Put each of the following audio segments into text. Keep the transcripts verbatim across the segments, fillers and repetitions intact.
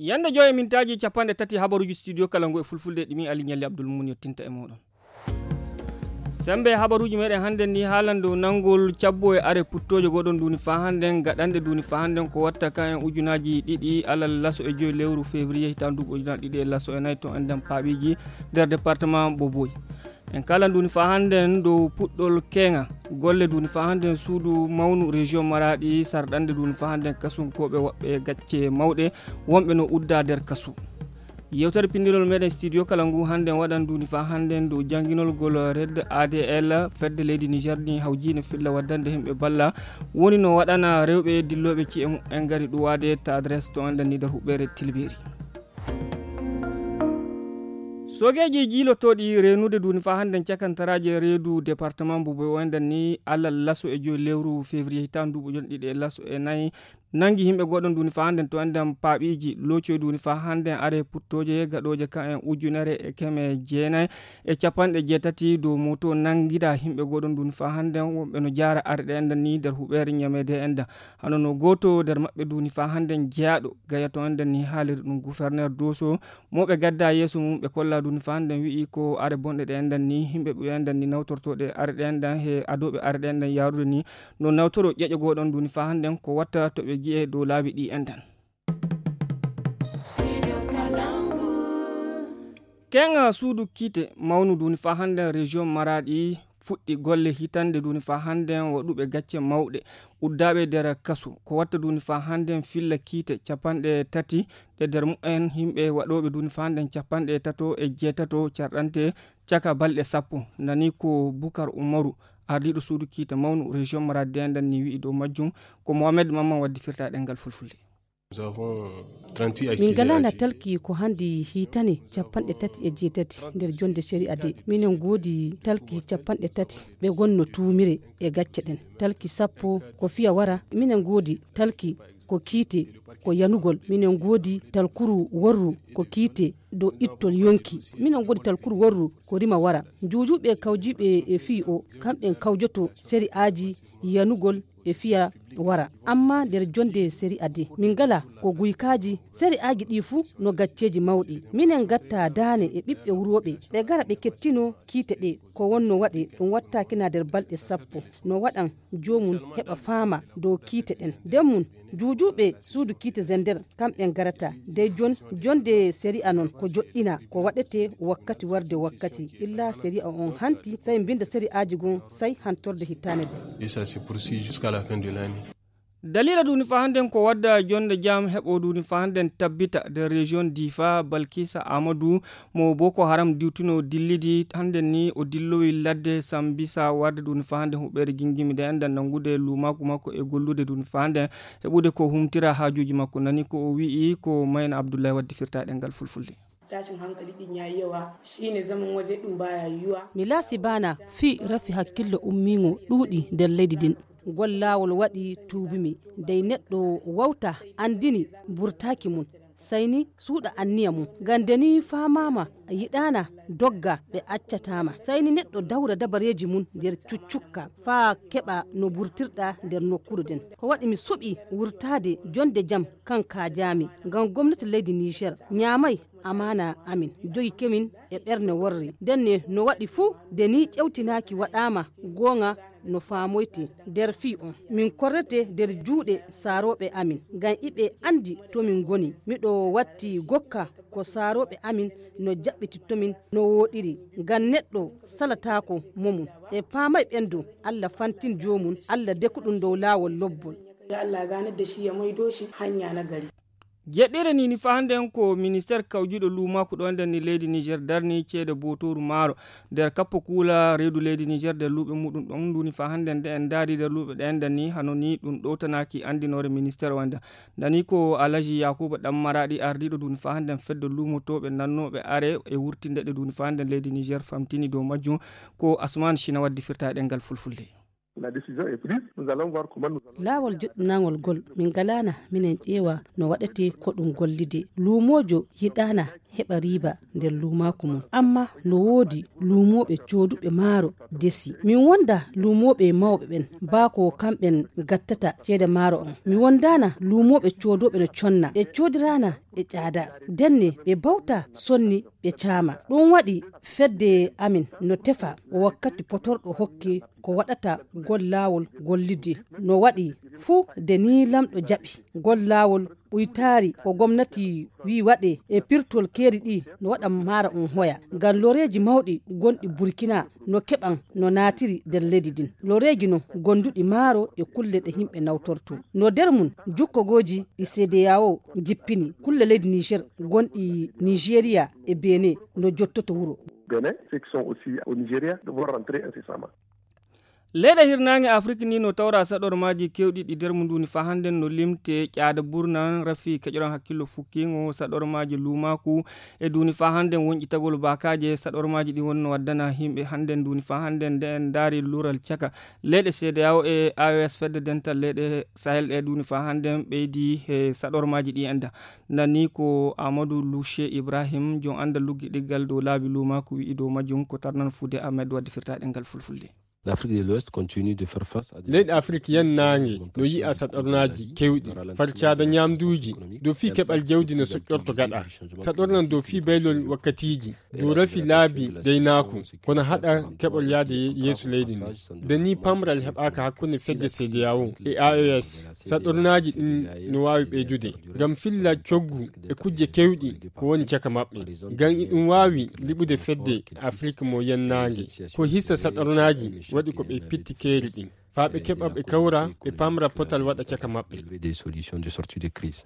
Yande joy e mintaaji capanɗe tati habaruuji studio kala ngu e fulfulde ɗi min Ali Ñalli Abdul Mun yottinta e mooɗon. Sembe habaruuji meɗen hannden ni haalan dow nanngol cabbo e are puttooje goɗon duuni faa hannden gaɗanɗe duuni faa hannden ko watta kan en ujunaaji ɗiɗi alal laso e joy lewru février hitaan duuɓi ujunaaji ɗiɗi e laso e nayi to enɗan paaɓiiji nder département Boboy. En kaalan duuni faa hannden dow puɗɗol keeŋa golle duuni faa hannden suudu mawnu région Maraaɗi sarɗannde duuni faa hannden kasunkooɓe woɓɓe gacce mawɗe wonɓe no uddaa nder kasu. Yewtere pinndinol meɗen studio kala ngu hannden waɗan duuni faa hannden dow jannginol gol red A D L fedde leydi Niger ni hawjiino filla waddande himɓe balla woni no waɗana rewɓe dillooɓe ci'e mumen ngari ɗuwaade ta adresse to enɗan ni nder huɓɓeere tilbeeri. Soogeeji jiilotooɗi reenude duuni faa hannden cakantaraaje reedu département mbo boy o enɗan ni alal laso e joy lewru février hitaan duuɓi ujunaaji ɗiɗi e laso e nayi nanngi yimɓe goɗon duuni faa hannden to enɗan paaɓiiji loocoy duuni faa hannden are puttooje gaɗooje kan en ujunere e keme jeenayi e capanɗe jeetati dow moto nanngida yimɓe goɗon duuni faa hannden wonɓe no jaara are ɗe enɗan ni nder huɓeere ñameede enɗan hano no gooto nder maɓɓe duuni faa hannden jeyaaɗo gaya to enɗan ni haaliri ɗum gouverneur doso mo ɓe gadda yeeso mum ɓe kolla duuni faa hannden wi'i ko are bonɗe ɗe enɗan ni yimɓe ɓe enɗan ni nawtortooɗe are ɗe enɗan he adooɓe are ɗe enɗan yaarude ni no nawtoro ƴeƴo goɗon duuni faa hannden ko watta to ɓe gi'e dow laabi ɗi enɗan. Keeŋa suudu kiite mawnu duuni faa hannden région Maraaɗi fuɗɗi golle hitannde duuni faa hannden waɗuɓe gacce mawɗe uddaaɓe nder kasu ko watta duuni faa hannden filla kiite capanɗe tati ɗe nder mumen yimɓe waɗooɓe duuni faa hannden capanɗe tato e jeetato carɗante caka balɗe sappo nani ko Bukar Umaru ardiiɗo suudu kiite mawnu région Maraaɗi enɗan ni wi'i dow majjum ko Mohamed Mamman waddi firtaaɗe ngal fulfulde. Min ngalaana talki ko hannde hitane capanɗe tati e jeetati nder jonnde seri ade minen ngoodi talki capanɗe tati ɓe ngonno tuumire e gacce ɗen talki sappo ko fiya wara minen ngoodi talki ko kiite ko yanugol minen ngoodi talkuru worru ko kiite dow ittol yonki minen ngoodi talkuru worru ko rima wara njuujuuɓe kawjiiɓe e fii o kamɓen kawjoto seri aji yanugol e fiya wara amma nder jonnde seri ade min ngala ko guykaaji seri aji ɗi fuu no gacceeji mawɗi minen ngatta daane e ɓiɓɓe wurooɓe ɓe gara ɓe kettino kiite ɗe ko wonno waɗe ɗum wattaakina nder balɗe sappo no waɗan joomum heɓa faama dow kiite ɗen nden mum juujuuɓe suudu kiite zender kamɓe ngarata dey jon jonnde seri a noon ko joɗɗina ko waɗete wakkati warde wakkati illa seri a on hanti say mbinda seri aji gon say hantorde hitaane de. Et ça se poursuit jusqu'à la fin de l'année. Daliila duuni faa hannden ko wadda jonnde jam heɓo duuni faa hannden tabbita nder région difa balkisa amadou mo boko haram diwtino dillidi hannden ni o dillowi ladde sambisa warde duuni faa hannden huɓɓeere gingimi nde enɗan nanngude luumaaku makko e gollude duuni faa hannden heɓude ko humtira haajuuji makko nani ko o wi'i ko mayna abdullahi waddi firtaaɗe ngal fulfulde. Tashin hankali din ya yi yawa shine zaman waje din baya yiwuwa. Mi laasi baana fii rafi hakkillo ummiingo ɗuuɗi nder leydi ndin. Ngol laawol waɗi tuubimi dey neɗɗo wawta anndini burtaaki mum sayni suuɗa anniya mum ngam nde ni faamaama yiɗaana dogga ɓe accataama sayni neɗɗo dawra dabareeji mum nder cuccukka faa keɓa no burtirɗa nder nokkuure nden ko waɗi mi suɓi wurtaade jonnde jam kan kaajaami ngam gomnati leydi niger ñaamay amaana amin jogi kemin e ɓernde worre ndenne no waɗi fuu nde ni ƴewtinaaki waɗaama goonga no faamoyte nder fii on min korrete nder juuɗe saarooɓe amin ngam iɓe anndi to min ngoni miɗo watti gokka ko saarooɓe amin no jaɓɓitittomin no wooɗiri ngam neɗɗo salataako momum ɓe paamay ɓen dow allah fantin joomum allah deku ɗum dow laawol lobbol. Ya allah ganar da shi ya maido shi hanya na gari. Jeɗɗire ni ni faa hannden ko ministeer kawjiiɗo luumaaku ɗo nden ni leydi niger darni ceede bootooru maaro nder kappo kuula reedu leydi niger nder luuɓe muɗum ɗon nduni faa hannden nde en ndaari nder luuɓe ɗe enden ni hano ni ɗum ɗowtanaaki anndinoore ministeer o enden nani ko alaji yakuba ɗam maraɗi ardiiɗo nduni faa hannden fedde luumotooɓe nannooɓe are e wurtinde ɗe nduni faa hannden leydi niger famtini dow majjum. Ko asman china waddi firta e ɗemngal fulfulde. Laawol joɗɗinangol ngol min ngalaana minen ƴeewa no waɗetee ko ɗum gollidee luumoojo yiɗaana heɓa riiba nder luumaaku mum. Ammaa no woodi luumooɓe cooduɓe maaro desi. Min wonda luumooɓe mawɓe ɓen, baa ko kamɓen gattata ceede maaro on. Mi wondaana luumooɓe coodooɓe no conna. Ɓe coodiraana ɓe ƴaada. Denne ɓe bawta sonni ɓe caama. Ɗum waɗi fedde amin no tefa wakkati potorɗo hokki ko waɗata gol laawol gollidde. No waɗi fuu de ni lamɗo jaɓi gol laawol ɓuytaari ko gomnati wi waɗe e pirtol keeri ɗi no waɗa maara on hoya. Ngam loreeji mawɗi gonɗi Burkina no keɓan no naatiri nder leydi ndin. Loreeji non gonduɗi maaro e kulle ɗe yimɓe nawtorto. No nder mum jukkogooji ɗi C D A O jippini, kulle leydi Niger gonɗi Nigeria e Benin no jottoto wuro. Bénin, ceux qui sont aussi au Nigeria devront rentrer incessamment. Leyɗe hirnaange Afrik ni no tawra saɗormaaji kewɗi ɗi nder mum nduni fa hannden no limte ƴaada burnan, rafi keƴoran hakkillo fukkiingo, saɗormaaji luumaaku e nduni fa hannden wonƴitagol baakaaje. Saɗormaaji ɗi wonno waddana yimɓe hannden nduni fa hannden nde en ndaari luural caka leyɗe C D A O e A E S, fedde dental leyɗe Sahel ɗe nduni fa hannden ɓeydi e saɗormaaji ɗi enda. Nani ko Amadou Louché Ibrahim, jom anndal luggiɗiggal dow laabi luumaaku wi'i dow majjum ko tarnan fuude Ahmed waddi firtaaɗe ngal fulfulde. L'Afrique de l'Ouest continue de faire face à des... Leyɗe Afrik yennaange no yi'a saɗornaaji kewɗi, farcaada ñaamduuji, dow fii keɓal jawdi no soƴƴorto gaɗa. Saɗornan dow fii baylol wakkatiiji, dow rafi laabi gaynaaku, kono haɗa keɓol yaade yeeso leydi ndi. Nde ni pamral heɓaaka hakkunde fedde C D A O e A E S, saɗornaaji ɗin no waawi ɓeydude. Ngam filla coggu e kujje kewɗi ko woni caka maɓɓe. Ngam iɗum waawi liɓude fedde Afrik mo yennaange. Ko hisa saɗornaaji waɗi ko ɓe pitti keeri ɗin. Faa ɓe keɓa ɓe kawra, ɓe pamra potal waɗa caka maɓɓe. Des solutions de sortie de crise.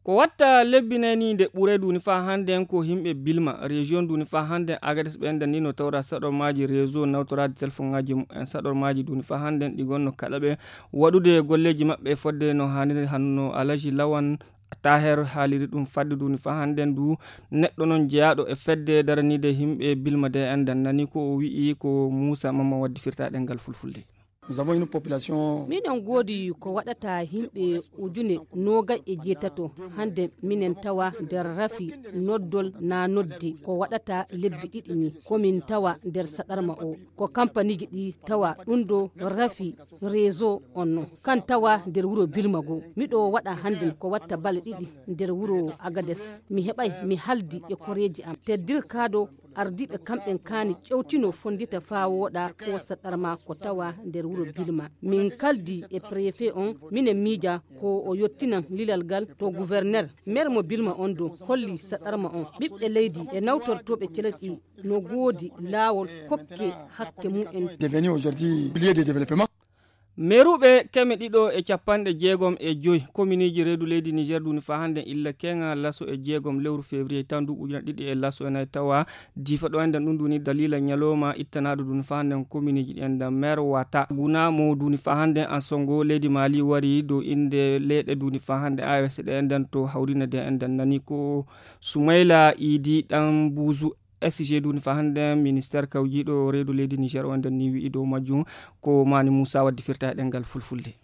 Ko watta lebbi nayi ni nde ɓure nduni fa hannden ko yimɓe Bilma, région nduni fa hannden Agades ɓe enda ni no tawra saɗormaaji réseau nawtoraade telefoŋaaji mumen. Saɗormaaji nduni fa hannden ɗi gonno kaɗa ɓe waɗude golleeji maɓɓe fodde no haaniri, hanno Alaji Lawan Taher haaliri ɗum fadde nduni fa hannden du. Neɗɗo non jeyaaɗo e fedde daraniide yimɓe Bilma de enda nani ko o wi'i ko Muusa Mamman waddi firtaaɗe ngal fulfulde. Nous avons une population... Miɗen ngoodi ko waɗata yimɓe ujune noogay e jeetato. Hannde minen tawa nder rafi noddol na nodde ko waɗata lebbi ɗiɗi ni. Ko min tawa nder saɗarma o. Ko kampaniiji ɗi tawa ɗum ɗo rafi réseau on non. Kan tawa nder wuro Bilma goo. Miɗo waɗa hannde ko watta bale ɗiɗi nder wuro Agades. Mi heɓay mi haldi e koreeji am. Teddirkaaɗo ardiiɓe kamɓen kaani ƴewtino fonndita faa wooɗa ko saɗarma ko tawa nder wuro Bilma. Min kaldi e préfet on, minen miija ko o yottinan lilal ngal to gouverneur. Maire mo Bilma on do holli saɗarma on. Ɓiɓɓe leydi e nawtortooɓe celerɗi no goodi laawol kokke hakke mumen. Devenu aujourd'hui pilier de développement. Meeruɓe keme ɗiɗo e capanɗe jeegom e joy kominiiji reedu leydi Niger duni fa hannden illa keŋa laso e jeegom lewru février taw ndu ujuna ɗiɗi e laso e nayi tawa diifa ɗo enden ɗum duni dalila ñalowma ittanaaɗo duni fa hannden kominiiji ɗi enden maire wata guna mo duni fa hannden an songo leydi Mali wari dow innde leyɗe duni fa hannden A E S ɗe enden to hawrine de enden nani ko Sumayla Idi ɗan buuzu. S G duni fa hannden ministeer kawjiiɗo reedu leydi Niger on nden ni wi'i dow majjum ko Mani Muusa waddi firta e ɗemngal fulfulde.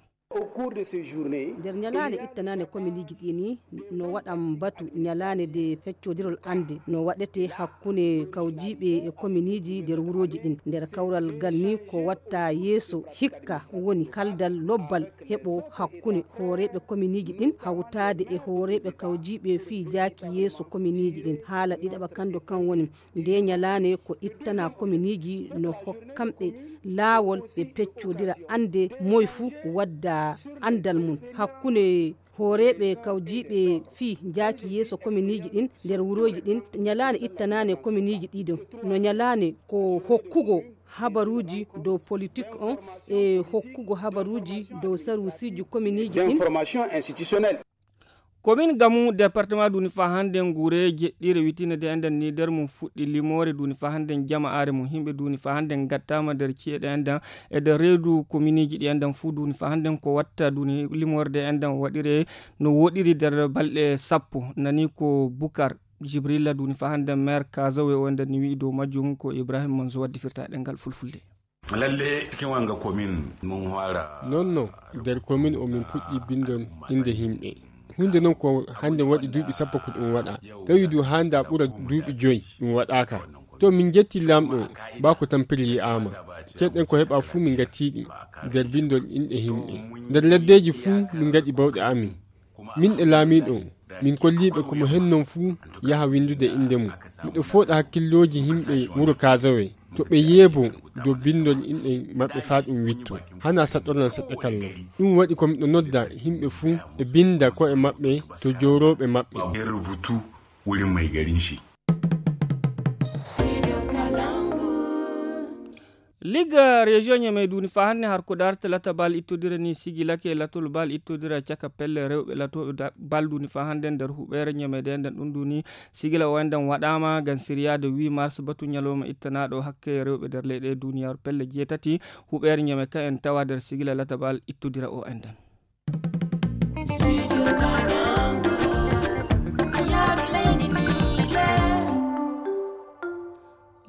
Nder ñalaande ittanaande kominiiji ɗi ni no waɗan batu ñalaande nde feccodirol annde no waɗetee hakkunde kawjiiɓe e kominiiji nder wurooji ɗin. Nder kawral ngal ni ko watta yeeso hikka woni kaldal lobbal heɓo hakkunde hooreeɓe kominiiji ɗin hawtaade e hooreeɓe kawjiiɓe fii jaaki yeeso kominiiji ɗin. Haala ɗiɗaɓa kan do kan woni Ndee ñalaande ko ittana kominiiji no hokkamɓe laawol ɓe peccodira annde moy fuu wadda anndal mum hakkunde hooreeɓe kawjiiɓe fii jaaki yeeso kominiiji ɗin nder wurooji ɗin. Ñalaande ittanaande kominiiji ɗiɗo no ñalaande ko hokkugo habaruuji dow politik on e hokkugo habaruuji dow saruusiiji kominiiji ɗin. Komin gamu departement duni fa hande nguure jeɗɗire witinde de enden ni nder mum fuɗɗi limoore duni fa hande jama are mum himɓe duni fa hande gattama nder ci'e ɗe enden e nder reedu kominiji ɗi enden fu duni fa hande ko watta duni limoore de enden waɗire no woɗiri nder balɗe sappo. Nani ko Bukar Jibrilla duni fa hande maire Kazawe o enden ni wi'i dow majjum ko Ibrahim Manzo waddi firta ɗengal fulfulde. Lalle cikin wanga komin mun fara. Nonno nder komin o min puɗɗi bindol inde himɓe. Huunde noon ko hannde waɗi duuɓi sappo ko ɗum waɗa. Tawi du haanda ɓura duuɓi joyi ɗum waɗaaka. To min njetti laamɗo, ba ko tampere yi'aama. Ceeɗen ko heɓa fuu min ngattiiɗi nder binndol inɗe yimɓe. Nder leddeeji fuu min ngaɗi bawɗe amin. Min e laamiiɗo, min kolliiɓe ko mo hennon fuu yaha winndude innde mum. Miɗo fooɗa hakkillooji yimɓe wuro Kaazawe. To ɓe yeebo dow binndol inɗe maɓɓe faa ɗum witto. Hana saɗorna seɗɗa kallo. Ɗum waɗi ko miɗo nodda yimɓe fuu ɓe binnda ko'e maɓɓe to joorooɓe maɓɓe. Nder rubutu wurin mai garin shi. Liga rejo ñamey duni faa hannde har ko darta lata bal ittodira ni sigilake latol bal ittodira caka pelle rewɓe latooɓe bal duni faa hannde nder huɓeere ñamey de nden ɗum duni. Sigila o enɗen waɗaama ngam siryaade huit mars batu ñalawma ittanaaɗo hakke rewɓe nder leyɗe duniyaaru pelle jeetati. Huɓeere ñamey ka en tawa nder sigila lata bal ittodira o enɗen.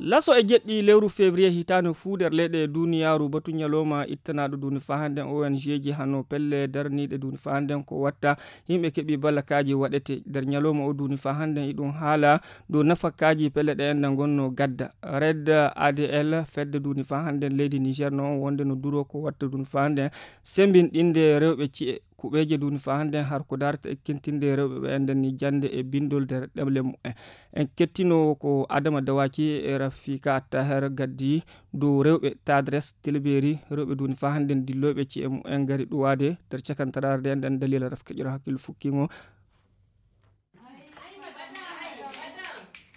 Laso e jeɗɗi lewru février hitaande fuu nder leyɗe duniyaaru batu ñalawma ittanaaɗo duni faa hannde. O N G ji hano pelle darniiɗe duni faa hannde ko watta yimɓe keɓi ballakaaji waɗete nder ñalawma o duni faa hannde iɗum haala dow nafakaaji pelle ɗe enɗen ngonno gadda. Red A D L fedde duni faa hannde leydi Niger no wonde no duro ko watta duni faa hannde sembinɗinde rewɓe ci'e kuɓeeje duni faa hannde har ko darata ekkintinde rewɓe ɓe enɗen ni jannde e binndol nder ɗemle mumen. En kettino ko Adama Dawaki e Rafika Taher gaddi dow rewɓe Tadres Tilberi rewɓe duni faa hannde dillooɓe ci'e mumen ngari ɗuwaade nder cakantaraare nde enɗen dalila rafika ƴoro hakkille fukkingo.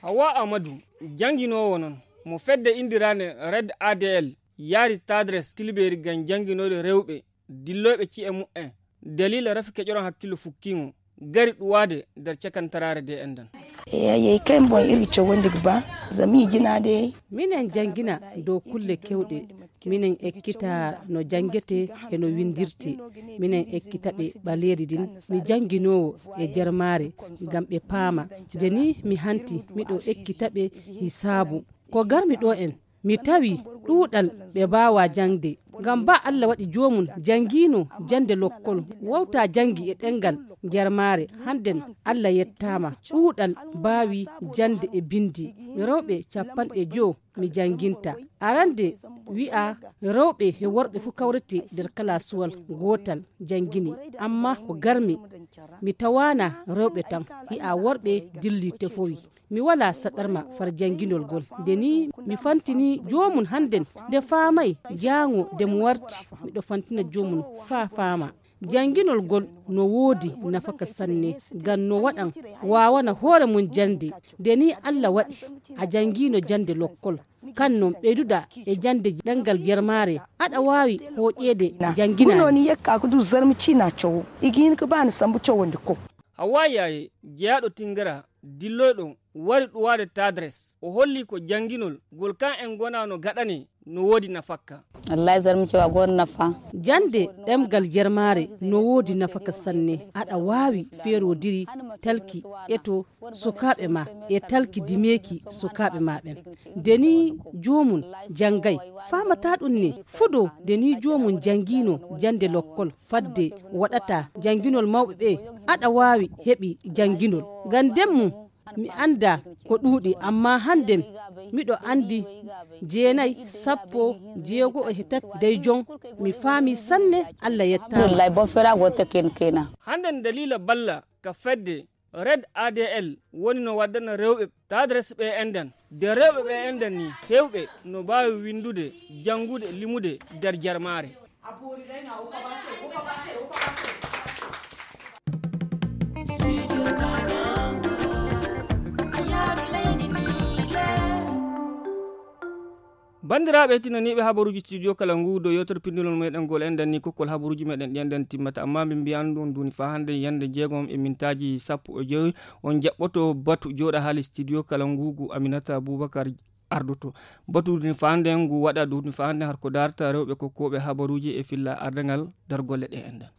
Hawa Amadu jannginoowo noon mo fedde inndiraande Red A D L yaari Tadres Tilberi ngam jannginoyde rewɓe dillooɓe ci'e mumen dalila rafi keƴoron hakkillo fukkiŋo gari ɗuwaade nder cakantaraare de enɗen. Eeyi, eeyi, kay mboy iri cowonde ba, zami jinaade. Minen janngina dow kulle kewɗe, minen ekkita no janngete e no winndirte, minen ekkita ɓe ɓaleeri din. Mi jannginoowo e jermaare ngam ɓe paama. Nde ni mi hanti miɗo ekkita ɓe hisaabu. Ko garmi ɗo en, mi tawi ɗuuɗal ɓe mbaawaa jaŋde. Ngam ba Alla waɗi joomum janngiino jannde lokkol, wowtaa janngi e ɗemngal jermaare. Hannden Alla yettaama, ɗuuɗal mbaawi jannde e binndi. Rewɓe capanɗe jowo mi jannginta. Arande wi'a rewɓe e worɓe fuu kawrete nder kalaasuwal gootal janngini. Ammaa ko garmi, mi tawaana rewɓe tan, hi'a worɓe dilli tefowi. Mi walaa saɗarma far jannginol ngol. Nde nii mi fantini joomum hannden, nde faamay jaango nde mo warti, miɗo fantina joomum faa faama. Jannginol ngol no woodi nafaka sanne, ngam no waɗan waawana hoore mum jannde. Nde nii Alla waɗi a janngiino jannde lokkol, kan noon ɓeyduɗaa e jannde ɗemngal jermaare, aɗa waawi hooƴeede jannginaani. Guno ni yekka ko du zarmi cina cowo, igi hin ko bani sambu cowo nde ko. Hawaa Yaaye, jeyaaɗo Tingara, dilloyɗo, wari ɗuwaade Tadres. O holli ko jannginol ngol kan en ngonaa no gaɗanee no woodi nafakka. Wallahi, zarmi cewa goon nafa. Jannde ɗemngal jermaare no woodi nafaka sanne. Aɗa waawi feerodiri talki eto sukaaɓe ma e talki dimeeki sukaaɓe ma ɓen. Nde nii joomum janngay, faamataa ɗum ne fuɗo. Nde nii joomum janngiino jannde lokkol fadde waɗata jannginol mawɓe ɓe, aɗa waawi heɓi jannginol. Ngam ndemmu mi anndaa ko ɗuuɗi, ammaa hannden miɗo anndi jeenay, sappo, jeego e tati dey jon. Mi faami sanne, Alla yettaama. Wallahi, bon fera wota ken kena. Hannden Dalila Balla ka fedde Red A D L woni no waddana rewɓe Tadres ɓe enɗen. De rewɓe ɓe enɗen ni, heewɓe no mbaawi winndude, janngude, limude nder jarmaare. Banndiraaɓe heɗtinaniiɓe habaruuji studio kala ngu, dow yewtere pinndinol meɗen ngol, en danni kokkol habaruuji meɗen ɗi enɗen timmata, amma min mbiyan ɗum duuni faa hannde yannde jeegom e mintaaji sappo e jowi, on jaɓɓoto batu jooɗa haali studio kala ngu, ngu Aminata Boubacar ardoto. Batu duuni faa hannde ngu waɗa duuni faa hannde har ko darta rewɓe kokkooɓe habaruuji e filla ardangal nder golle ɗe enɗen.